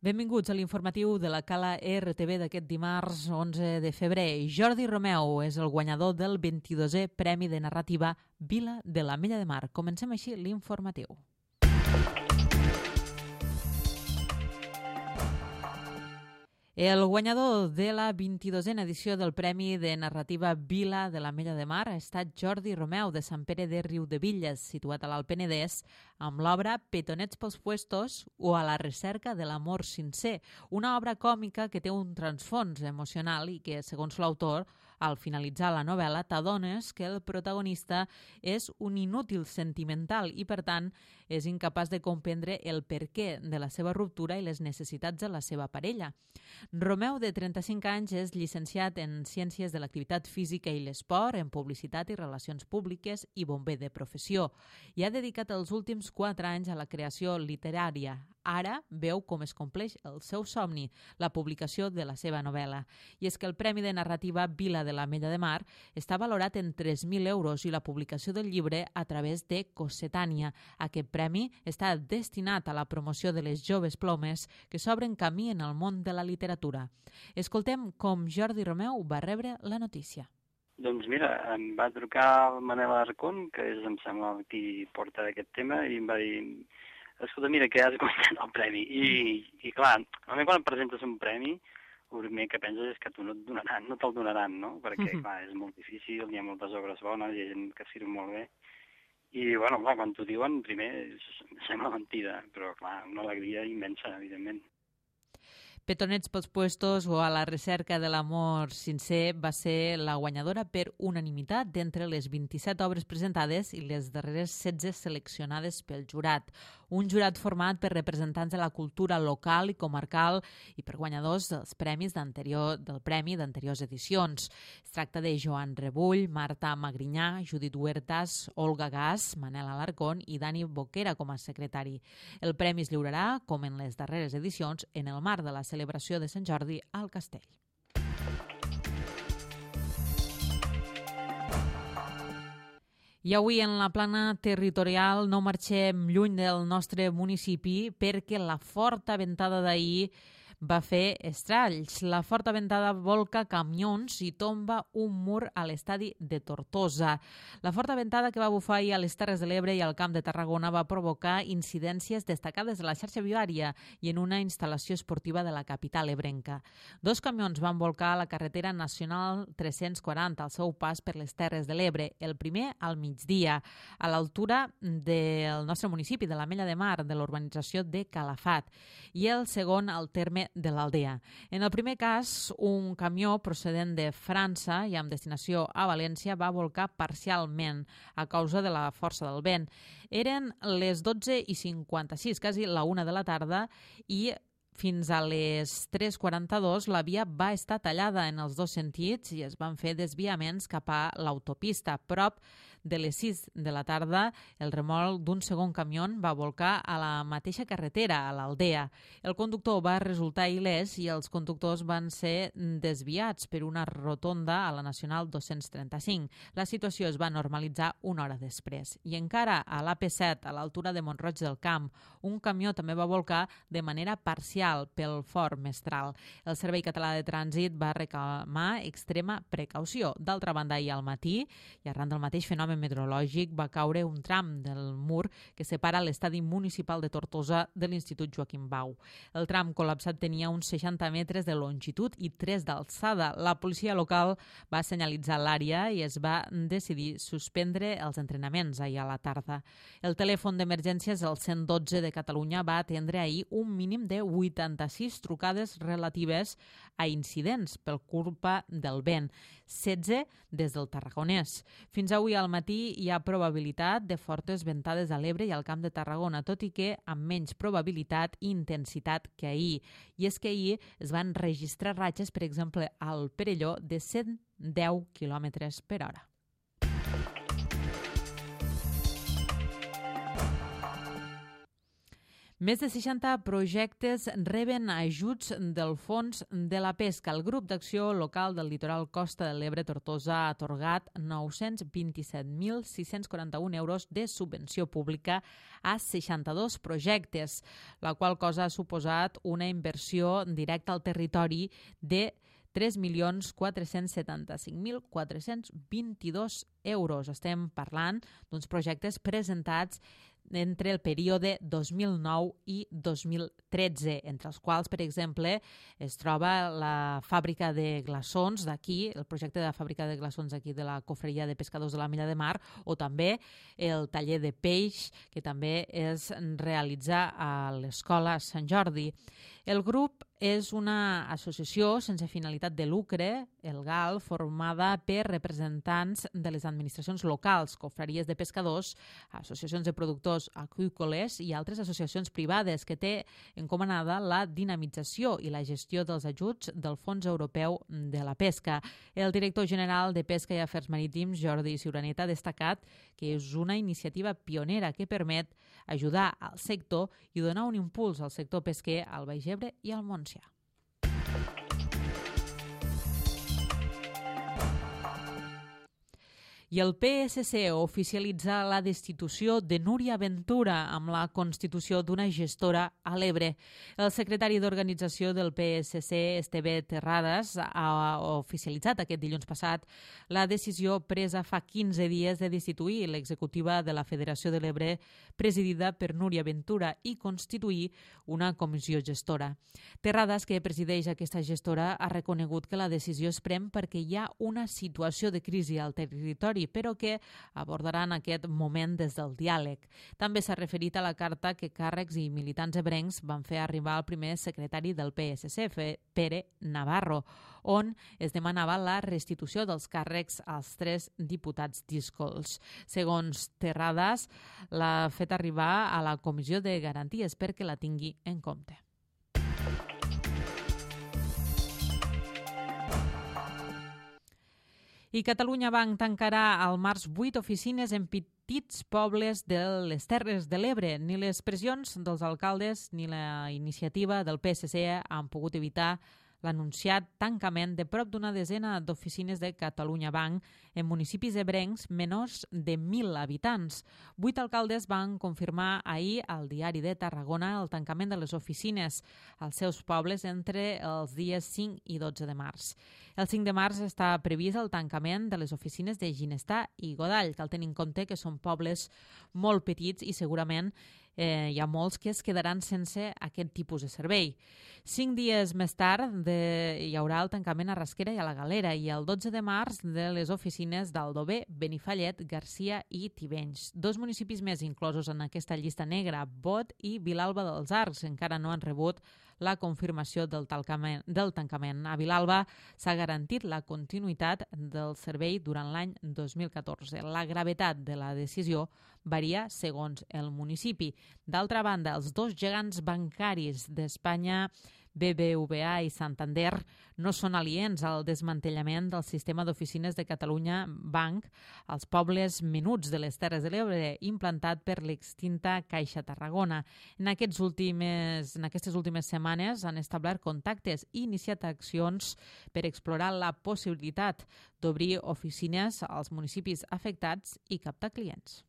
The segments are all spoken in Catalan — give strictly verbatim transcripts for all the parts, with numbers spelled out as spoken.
Benvinguts a l'informatiu de la Cala R T V d'aquest dimarts onze de febrer. Jordi Romeu és el guanyador del vint-i-dosè Premi de Narrativa Vila de l'Ametlla de Mar. Comencem així l'informatiu. El guanyador de la vint-i-dosena edició del Premi de Narrativa Vila de l'Ametlla de Mar ha estat Jordi Romeu, de Sant Pere de Riudebitlles, situat a l'Alt Penedès, amb l'obra Petonets pels puestos o A la recerca de l'amor sincer, una obra còmica que té un transfons emocional i que, segons l'autor, al finalitzar la novel·la t'adones que el protagonista és un inútil sentimental i, per tant, és incapaç de comprendre el perquè de la seva ruptura i les necessitats de la seva parella. Romeu, de trenta-cinc anys, és llicenciat en Ciències de l'Activitat Física i l'Esport, en Publicitat i Relacions Públiques i bomber de professió, i ha dedicat els últims quatre anys a la creació literària. Ara veu com es compleix el seu somni, la publicació de la seva novel·la. I és que el Premi de Narrativa Vila de l'Ametlla de Mar està valorat en tres mil euros i la publicació del llibre a través de Cossetània. Aquest premi està destinat a la promoció de les joves plomes que s'obren camí en el món de la literatura. Escoltem com Jordi Romeu va rebre la notícia. Doncs mira, em va trucar el Manel Arcón, que és, em sembla, qui porta aquest tema, i em va dir: escolta, mira, que has guanyat el premi. I, i clar, normalment quan et presentes un premi, el primer que penses és que tu no et donaran, no te'l donaran, no? Perquè, mm-hmm. clar, és molt difícil, hi ha moltes obres bones, hi ha gent que firma molt bé. I, bueno, clar, quan t'ho diuen, primer sembla mentida, però, clar, una alegria immensa, evidentment. Petonets pels puestos o A la recerca de l'amor sincer va ser la guanyadora per unanimitat d'entre les vint-i-set obres presentades i les darreres setze seleccionades pel jurat. Un jurat format per representants de la cultura local i comarcal i per guanyadors dels premis d'anterior, del premi d'anteriors edicions. Es tracta de Joan Rebull, Marta Magrinyà, Judit Huertas, Olga Gas, Manel Alarcón i Dani Boquera com a secretari. El premi es lliurarà, com en les darreres edicions, en el marc de la celebració de Sant Jordi al Castell. I avui en la plana territorial no marxem lluny del nostre municipi perquè la forta ventada d'ahir va fer estralls. La forta ventada volca camions i tomba un mur a l'estadi de Tortosa. La forta ventada que va bufar ahir a les Terres de l'Ebre i al Camp de Tarragona va provocar incidències destacades a la xarxa viària i en una instal·lació esportiva de la capital ebrenca. Dos camions van volcar a la carretera nacional tres-cents quaranta al seu pas per les Terres de l'Ebre. El primer al migdia, a l'altura del nostre municipi, de l'Ametlla de Mar, de l'urbanització de Calafat, i el segon al terme de l'Aldea. En el primer cas, un camió procedent de França i amb destinació a València va volcar parcialment a causa de la força del vent. Eren les dotze i cinquanta-sis, quasi la una de la tarda, i fins a les tres quaranta-dos la via va estar tallada en els dos sentits i es van fer desviaments cap a l'autopista. A prop de les sis de la tarda, el remolc d'un segon camió va volcar a la mateixa carretera, a l'Aldea. El conductor va resultar il·lès i els conductors van ser desviats per una rotonda a la Nacional dos-cents trenta-cinc. La situació es va normalitzar una hora després. I encara a l'A P set, a l'altura de Mont-roig del Camp, un camió també va volcar de manera parcial pel fort mestral. El Servei Català de Trànsit va reclamar extrema precaució. D'altra banda, ahir al matí, i arran del mateix fenomen meteorològic, va caure un tram del mur que separa l'estadi municipal de Tortosa de l'Institut Joaquim Bau. El tram col·lapsat tenia uns seixanta metres de longitud i tres d'alçada. La policia local va senyalitzar l'àrea i es va decidir suspendre els entrenaments ahir a la tarda. El telèfon d'emergències, el cent dotze de Catalunya, va atendre ahir un mínim de vuitanta-sis trucades relatives a incidents per culpa del vent, setze des del Tarragonès. Fins avui al matí hi ha probabilitat de fortes ventades a l'Ebre i al Camp de Tarragona, tot i que amb menys probabilitat i intensitat que ahir. I és que ahir es van registrar ratxes, per exemple, al Perelló, de cent deu quilòmetres per hora. Més de seixanta projectes reben ajuts del Fons de la Pesca. El Grup d'Acció Local del Litoral Costa de l'Ebre Tortosa ha atorgat nou-cents vint-i-set mil sis-cents quaranta-un euros de subvenció pública a seixanta-dos projectes, la qual cosa ha suposat una inversió directa al territori de tres milions quatre-cents setanta-cinc mil quatre-cents vint-i-dos euros. Estem parlant d'uns projectes presentats entre el període dos mil nou i dos mil tretze, entre els quals, per exemple, es troba la fàbrica de glaçons d'aquí, el projecte de la fàbrica de glaçons d'aquí de la Cofreria de Pescadors de la Mella de Mar, o també el taller de peix, que també es realitza a l'Escola Sant Jordi. El grup és una associació sense finalitat de lucre, el G A L, formada per representants de les administracions locals, cofreries de pescadors, associacions de productors aqüícoles i altres associacions privades, que té encomanada la dinamització i la gestió dels ajuts del Fons Europeu de la Pesca. El director general de Pesca i Afers Marítims, Jordi Ciuraneta, ha destacat que és una iniciativa pionera que permet ajudar al sector i donar un impuls al sector pesquer al Baix Ebre i al Montsià. I el P S C oficialitza la destitució de Núria Ventura amb la constitució d'una gestora a l'Ebre. El secretari d'organització del P S C, Esteve Terrades, ha oficialitzat aquest dilluns passat la decisió presa fa quinze dies de destituir l'executiva de la Federació de l'Ebre, presidida per Núria Ventura, i constituir una comissió gestora. Terrades, que presideix aquesta gestora, ha reconegut que la decisió es pren perquè hi ha una situació de crisi al territori, però que abordaran aquest moment des del diàleg. També s'ha referit a la carta que càrrecs i militants ebrencs van fer arribar al primer secretari del P S C, Pere Navarro, on es demanava la restitució dels càrrecs als tres diputats díscols. Segons Terrades, l'ha fet arribar a la Comissió de Garanties perquè la tingui en compte. I Catalunya Banc tancarà al març vuit oficines en petits pobles de les Terres de l'Ebre. Ni les pressions dels alcaldes ni la iniciativa del P S C han pogut evitar l'anunciat tancament de prop d'una desena d'oficines de Catalunya Banc en municipis ebrencs menors de mil habitants. Vuit alcaldes van confirmar ahir al Diari de Tarragona el tancament de les oficines als seus pobles entre els dies cinc i dotze de març. El cinc de març està previst el tancament de les oficines de Ginestar i Godall. Cal tenir en compte que són pobles molt petits i segurament eh, hi ha molts que es quedaran sense aquest tipus de servei. Cinc dies més tard de, hi haurà el tancament a Rasquera i a la Galera i el dotze de març de les oficines d'Aldover, Benifallet, Garcia i Tivenys. Dos municipis més inclosos en aquesta llista negra, Bot i Vilalba dels Arcs, encara no han rebut la confirmació del tancament. Del tancament. A Vilalba s'ha garantit la continuïtat del servei durant l'any dos mil catorze. La gravetat de la decisió varia segons el municipi. D'altra banda, els dos gegants bancaris d'Espanya, B B V A i Santander, no són aliens al desmantellament del sistema d'oficines de Catalunya Banc als pobles menuts de les Terres de l'Ebre, implantat per l'extinta Caixa Tarragona. En, aquests últimes, en aquestes últimes setmanes han establert contactes i iniciat accions per explorar la possibilitat d'obrir oficines als municipis afectats i captar clients.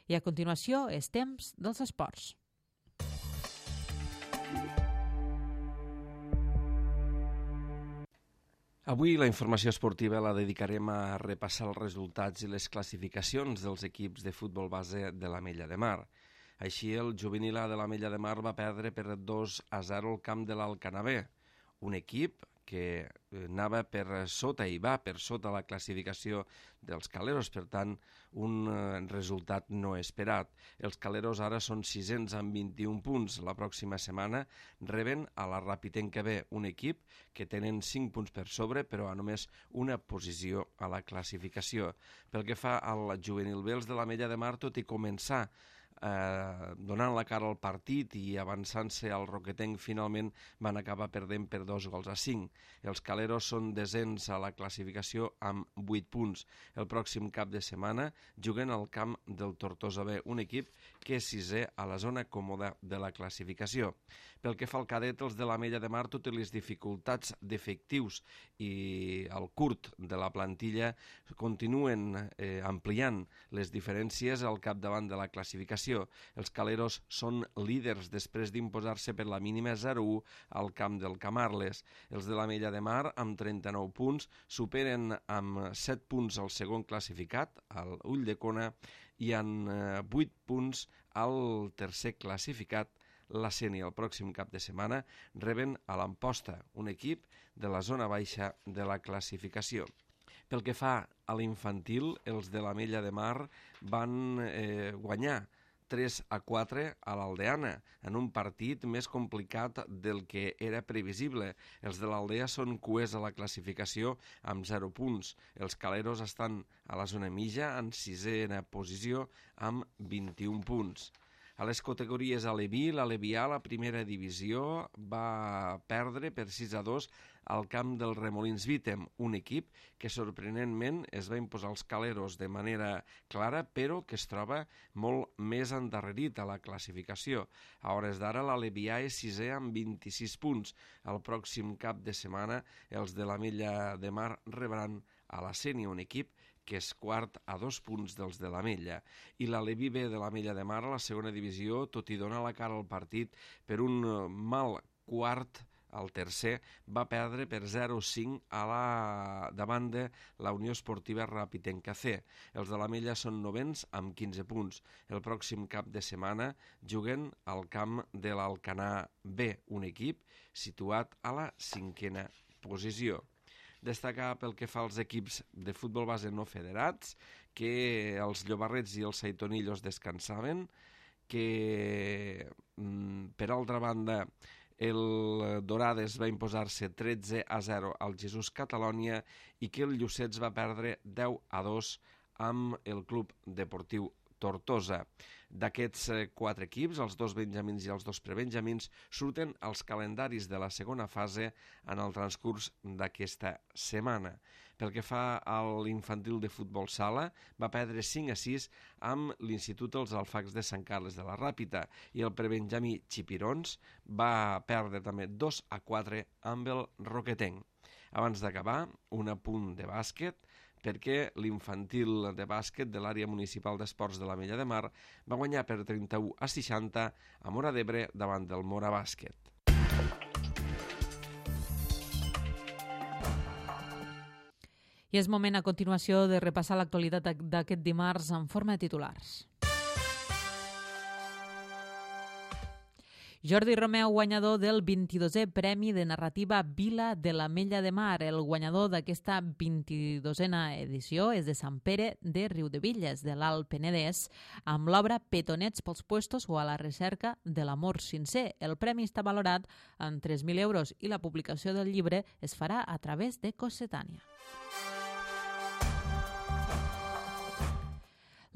I a continuació és temps dels esports. Avui la informació esportiva la dedicarem a repassar els resultats i les classificacions dels equips de futbol base de l'Ametlla de Mar. Així, el juvenil A de l'Ametlla de Mar va perdre per dos a zero al camp de l'Alcanavè, un equip que anava per sota i va per sota la classificació dels Caleros, per tant, un resultat no esperat. Els Caleros ara són sisens amb vint-i-un punts. La pròxima setmana reben a la Ràpitenca B, un equip que tenen cinc punts per sobre, però a només una posició a la classificació. Pel que fa al juvenil B, els de l'Ametlla de Mar, tot i començar eh, donant la cara al partit i avançant-se al Roquetenc, finalment van acabar perdent per dos gols a cinc. Els Caleros són desens a la classificació amb vuit punts. El pròxim cap de setmana juguen al camp del Tortosa B, un equip que és sisè a la zona còmoda de la classificació. Pel que fa al cadet, els de l'Ametlla de Mar, tot i les dificultats d'efectius i el curt de la plantilla, continuen eh, ampliant les diferències al capdavant de la classificació. Els Caleros són líders després d'imposar-se per la mínima zero a u al camp del Camarles. Els de l'Ametlla de Mar, amb trenta-nou punts, superen amb set punts el segon classificat, el Ulldecona, i amb eh, vuit punts al tercer classificat, la Sénia. El pròxim cap de setmana reben a l'Amposta, un equip de la zona baixa de la classificació. Pel que fa a l'infantil, els de l'Ametlla de Mar van eh, guanyar tres a quatre a l'Aldeana, en un partit més complicat del que era previsible. Els de l'Aldea són cuers a la classificació amb zero punts. Els Caleros estan a la zona mitja en sisena posició amb vint-i-un punts. A les categories Aleví, l'Alevià, la primera divisió, va perdre per sis a dos al camp del Remolins Vítem, un equip que sorprenentment es va imposar als Caleros de manera clara, però que es troba molt més endarrerit a la classificació. A hores d'ara, l'Alevià és sisè amb vint-i-sis punts. El pròxim cap de setmana, els de l'Ametlla de Mar rebran a la Sénia, un equip que és quart a dos punts dels de l'Ametlla. I l'Aleví B de l'Ametlla de Mar a la segona divisió, tot i donar la cara al partit per un mal quart al tercer, va perdre per zero a cinc a la davant de la Unió Esportiva Rapitenca C. Els de l'Ametlla són novens amb quinze punts. El pròxim cap de setmana juguen al camp de l'Alcanar B, un equip situat a la cinquena posició. Destacar pel que fa als equips de futbol base no federats, que els Llobarrets i els Saitonillos descansaven, que per altra banda el Dorades va imposar-se tretze a zero al Jesús Catalònia i que el Llucets va perdre deu a dos amb el Club Deportiu Tortosa. D'aquests quatre equips, els dos benjamins i els dos prebenjamins, surten als calendaris de la segona fase en el transcurs d'aquesta setmana. Pel que fa a l'infantil de futbol sala, va perdre cinc a sis amb l'Institut Els Alfacs de Sant Carles de la Ràpita i el prebenjamí Xipirons va perdre també dos a quatre amb el Roquetenc. Abans d'acabar, un apunt de bàsquet, perquè l'infantil de bàsquet de l'àrea municipal d'esports de l'Ametlla de Mar va guanyar per trenta-u a seixanta a Móra d'Ebre davant del Móra Bàsquet. I és moment a continuació de repassar l'actualitat d'aquest dimarts en forma de titulars. Jordi Romeu, guanyador del vint-i-dosè Premi de Narrativa Vila de l'Ametlla de Mar. El guanyador d'aquesta vint-i-dosena edició és de Sant Pere de Riudebitlles, de l'Alt Penedès, amb l'obra Petonets pels puestos o a la recerca de l'amor sincer. El premi està valorat en tres mil euros i la publicació del llibre es farà a través de Cossetània.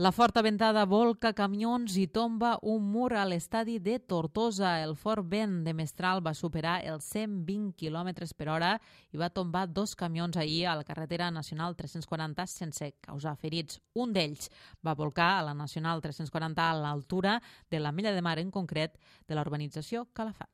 La forta ventada volca camions i tomba un mur a l'estadi de Tortosa. El fort vent de Mestral va superar els cent vint quilòmetres per hora i va tombar dos camions ahir a la carretera nacional tres-cents quaranta sense causar ferits. Un d'ells va volcar a la nacional tres-cents quaranta a l'altura de l'Ametlla de Mar, en concret de la urbanització Calafat.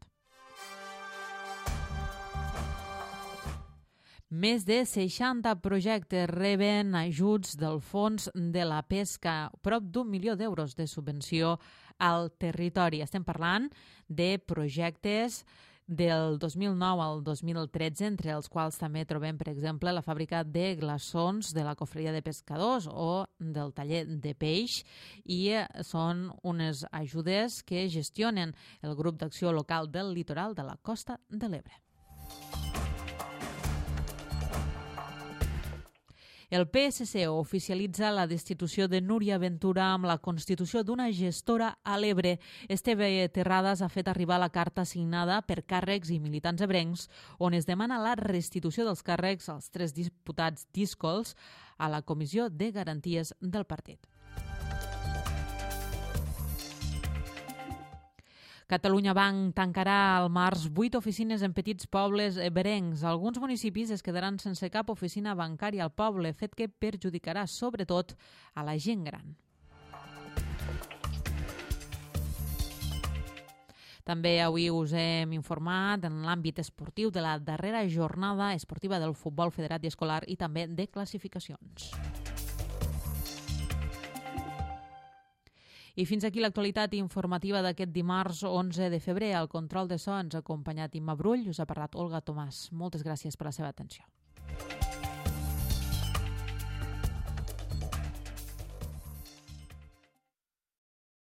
Més de seixanta projectes reben ajuts del Fons de la Pesca, prop d'un milió d'euros de subvenció al territori. Estem parlant de projectes del dos mil nou al dos mil tretze, entre els quals també trobem, per exemple, la fàbrica de glaçons de la Cofreria de Pescadors o del taller de peix, i són unes ajudes que gestionen el grup d'acció local del litoral de la Costa de l'Ebre. El P S C oficialitza la destitució de Núria Ventura amb la constitució d'una gestora a l'Ebre. Esteve Terrades ha fet arribar la carta signada per càrrecs i militants ebrencs on es demana la restitució dels càrrecs als tres diputats díscols a la Comissió de Garanties del partit. Catalunya Banc tancarà al març vuit oficines en petits pobles eberencs. Alguns municipis es quedaran sense cap oficina bancària al poble, fet que perjudicarà sobretot a la gent gran. També avui us hem informat en l'àmbit esportiu de la darrera jornada esportiva del futbol federat i escolar i també de classificacions. I fins aquí l'actualitat informativa d'aquest dimarts onze de febrer. Al control de so ens ha acompanyat Imma Brull, us ha parlat Olga Tomàs. Moltes gràcies per la seva atenció.